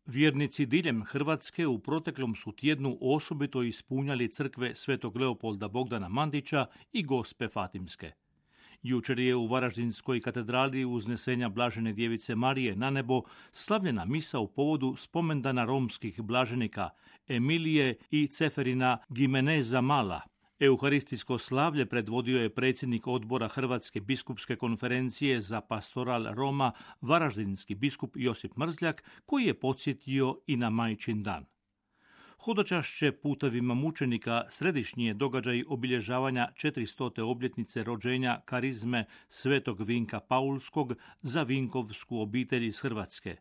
Vjernici diljem Hrvatske u proteklom su tjednu osobito ispunjali crkve Svetog Leopolda Bogdana Mandića i Gospe Fatimske. Jučer je u Varaždinskoj katedrali uznesenja Blažene djevice Marije na nebo slavljena misa u povodu spomendana romskih blaženika Emilije i Ceferina Gimeneza Mala. Euharistijsko slavlje predvodio je predsjednik odbora Hrvatske biskupske konferencije za pastoral Roma, varaždinski biskup Josip Mrzljak, koji je podsjetio i na Majčin dan. Hodočašće putevima mučenika središnji je događaj obilježavanja 400. obljetnice rođenja karizme Svetog Vinka Paulskog za Vinkovsku obitelj iz Hrvatske.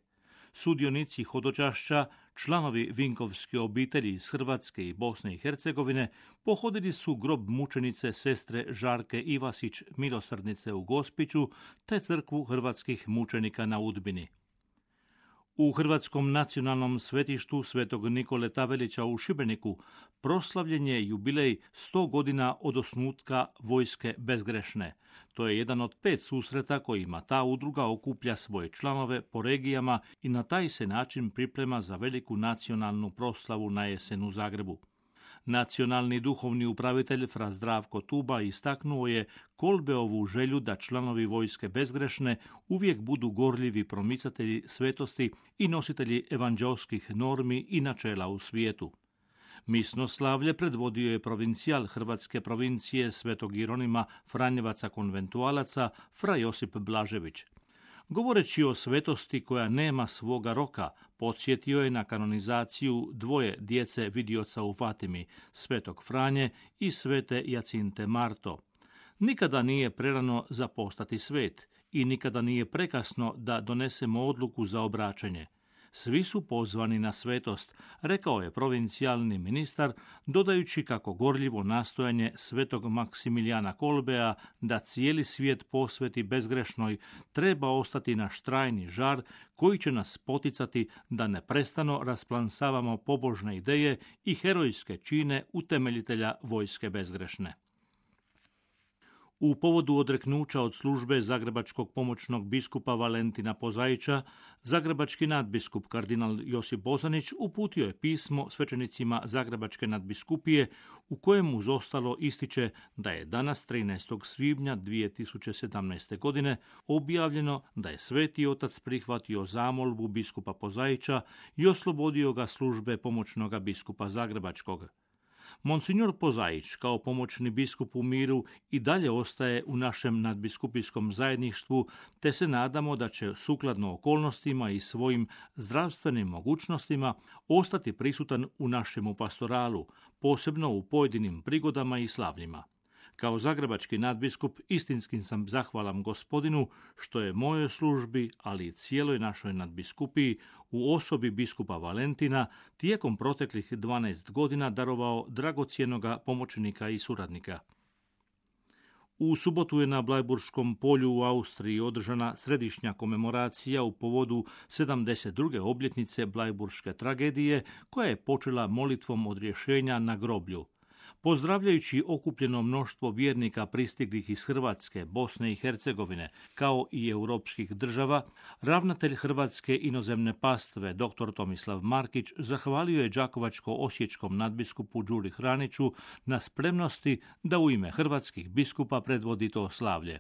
Sudionici hodočašća, članovi Vinkovske obitelji iz Hrvatske i Bosne i Hercegovine, pohodili su grob mučenice sestre Žarke Ivasić Milosrdnice u Gospiću te crkvu hrvatskih mučenika na Udbini. U Hrvatskom nacionalnom svetištu Svetog Nikole Tavelića u Šibeniku proslavljen je jubilej 100 godina od osnutka Vojske bezgrešne. To je jedan od 5 susreta kojima ta udruga okuplja svoje članove po regijama i na taj se način priprema za veliku nacionalnu proslavu na jesen u Zagrebu. Nacionalni duhovni upravitelj fra Zdravko Tuba istaknuo je Kolbeovu želju da članovi Vojske bezgrešne uvijek budu gorljivi promicatelji svetosti i nositelji evanđelskih normi i načela u svijetu. Misno slavlje predvodio je provincijal Hrvatske provincije Svetog Jeronima Franjevaca konventualaca fra Josip Blažević. Govoreći o svetosti koja nema svoga roka, podsjetio je na kanonizaciju dvoje djece vidioca u Fatimi, Svetog Franje i Svete Jacinte Marto. Nikada nije prerano za postati svet i nikada nije prekasno da donesemo odluku za obraćanje. Svi su pozvani na svetost, rekao je provincijalni ministar, dodajući kako gorljivo nastojanje Svetog Maksimilijana Kolbea da cijeli svijet posveti bezgrešnoj treba ostati naš trajni žar koji će nas poticati da neprestano rasplansavamo pobožne ideje i herojske čine utemeljitelja Vojske bezgrešne. U povodu odreknuća od službe zagrebačkog pomoćnog biskupa Valentina Pozaića, zagrebački nadbiskup kardinal Josip Bozanić uputio je pismo svećenicima Zagrebačke nadbiskupije u kojem uz ostalo ističe da je danas 13. svibnja 2017. godine objavljeno da je Sveti Otac prihvatio zamolbu biskupa Pozaića i oslobodio ga službe pomoćnoga biskupa Zagrebačkog. Monsignor Pozaić, kao pomoćni biskup u miru, i dalje ostaje u našem nadbiskupijskom zajedništvu, te se nadamo da će sukladno okolnostima i svojim zdravstvenim mogućnostima ostati prisutan u našemu pastoralu, posebno u pojedinim prigodama i slavljima. Kao zagrebački nadbiskup istinski sam zahvalan Gospodinu što je mojoj službi, ali i cijeloj našoj nadbiskupiji u osobi biskupa Valentina tijekom proteklih 12 godina darovao dragocjenoga pomoćnika i suradnika. U subotu je na Blajburškom polju u Austriji održana središnja komemoracija u povodu 72. obljetnice Blajburške tragedije, koja je počela molitvom odrješenja na groblju. Pozdravljajući okupljeno mnoštvo vjernika pristiglih iz Hrvatske, Bosne i Hercegovine, kao i europskih država, ravnatelj Hrvatske inozemne pastve dr. Tomislav Markić zahvalio je đakovačko-osječkom nadbiskupu Đuri Hraniću na spremnosti da u ime hrvatskih biskupa predvodi to slavlje.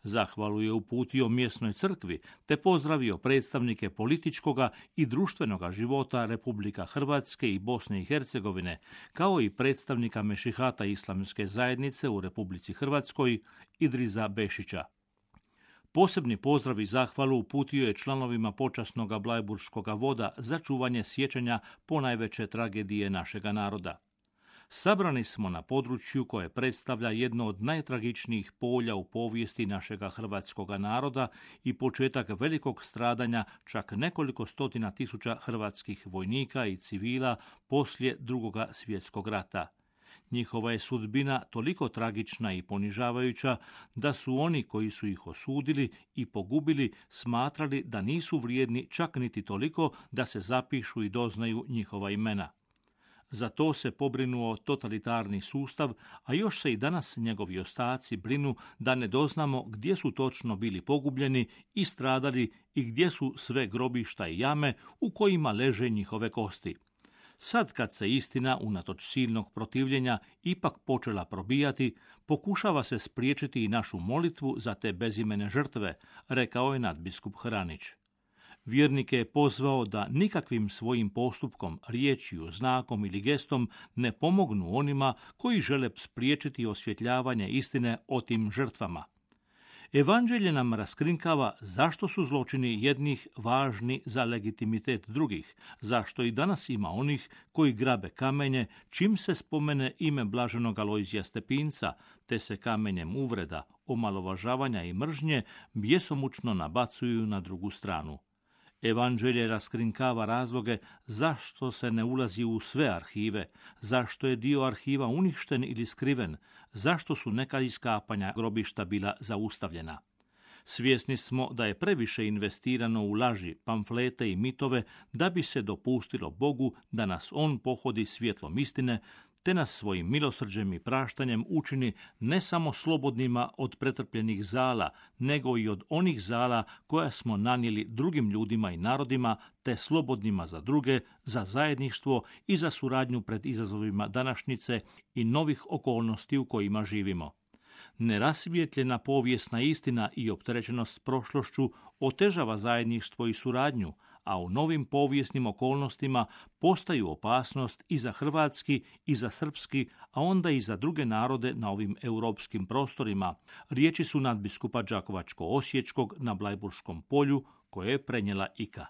Zahvalu je uputio mjesnoj crkvi te pozdravio predstavnike političkoga i društvenoga života Republika Hrvatske i Bosne i Hercegovine, kao i predstavnika Mešihata Islamske zajednice u Republici Hrvatskoj Idriza Bešića. Posebni pozdrav i zahvalu uputio je članovima počasnoga Blajburškoga voda za čuvanje sjećanja ponajveće tragedije našega naroda. Sabrani smo na području koje predstavlja jedno od najtragičnijih polja u povijesti našega hrvatskoga naroda i početak velikog stradanja čak nekoliko stotina tisuća hrvatskih vojnika i civila poslije Drugoga svjetskog rata. Njihova je sudbina toliko tragična i ponižavajuća da su oni koji su ih osudili i pogubili smatrali da nisu vrijedni čak niti toliko da se zapišu i doznaju njihova imena. Za to se pobrinuo totalitarni sustav, a još se i danas njegovi ostaci brinu da ne doznamo gdje su točno bili pogubljeni i stradali i gdje su sve grobišta i jame u kojima leže njihove kosti. Sad kad se istina, unatoč silnog protivljenja, ipak počela probijati, pokušava se spriječiti i našu molitvu za te bezimene žrtve, rekao je nadbiskup Hranić. Vjernike je pozvao da nikakvim svojim postupkom, riječju, znakom ili gestom ne pomognu onima koji žele spriječiti osvjetljavanje istine o tim žrtvama. Evanđelje nam raskrinkava zašto su zločini jednih važni za legitimitet drugih, zašto i danas ima onih koji grabe kamenje čim se spomene ime blaženog Alojzija Stepinca, te se kamenjem uvreda, omalovažavanja i mržnje bjesomučno nabacuju na drugu stranu. Evanđelje raskrinkava razloge zašto se ne ulazi u sve arhive, zašto je dio arhiva uništen ili skriven, zašto su neka iskapanja grobišta bila zaustavljena. Svjesni smo da je previše investirano u laži, pamflete i mitove da bi se dopustilo Bogu da nas On pohodi svjetlom istine, te nas svojim milosrđem i praštanjem učini ne samo slobodnima od pretrpljenih zala, nego i od onih zala koja smo nanijeli drugim ljudima i narodima, te slobodnima za druge, za zajedništvo i za suradnju pred izazovima današnjice i novih okolnosti u kojima živimo. Nerasvijetljena povijesna istina i opterećenost prošlošću otežava zajedništvo i suradnju, a u novim povijesnim okolnostima postaju opasnost i za hrvatski i za srpski, a onda i za druge narode na ovim europskim prostorima. Riječi su nadbiskupa Đakovačko-osječkog na Blajburškom polju koje je prenijela IKA.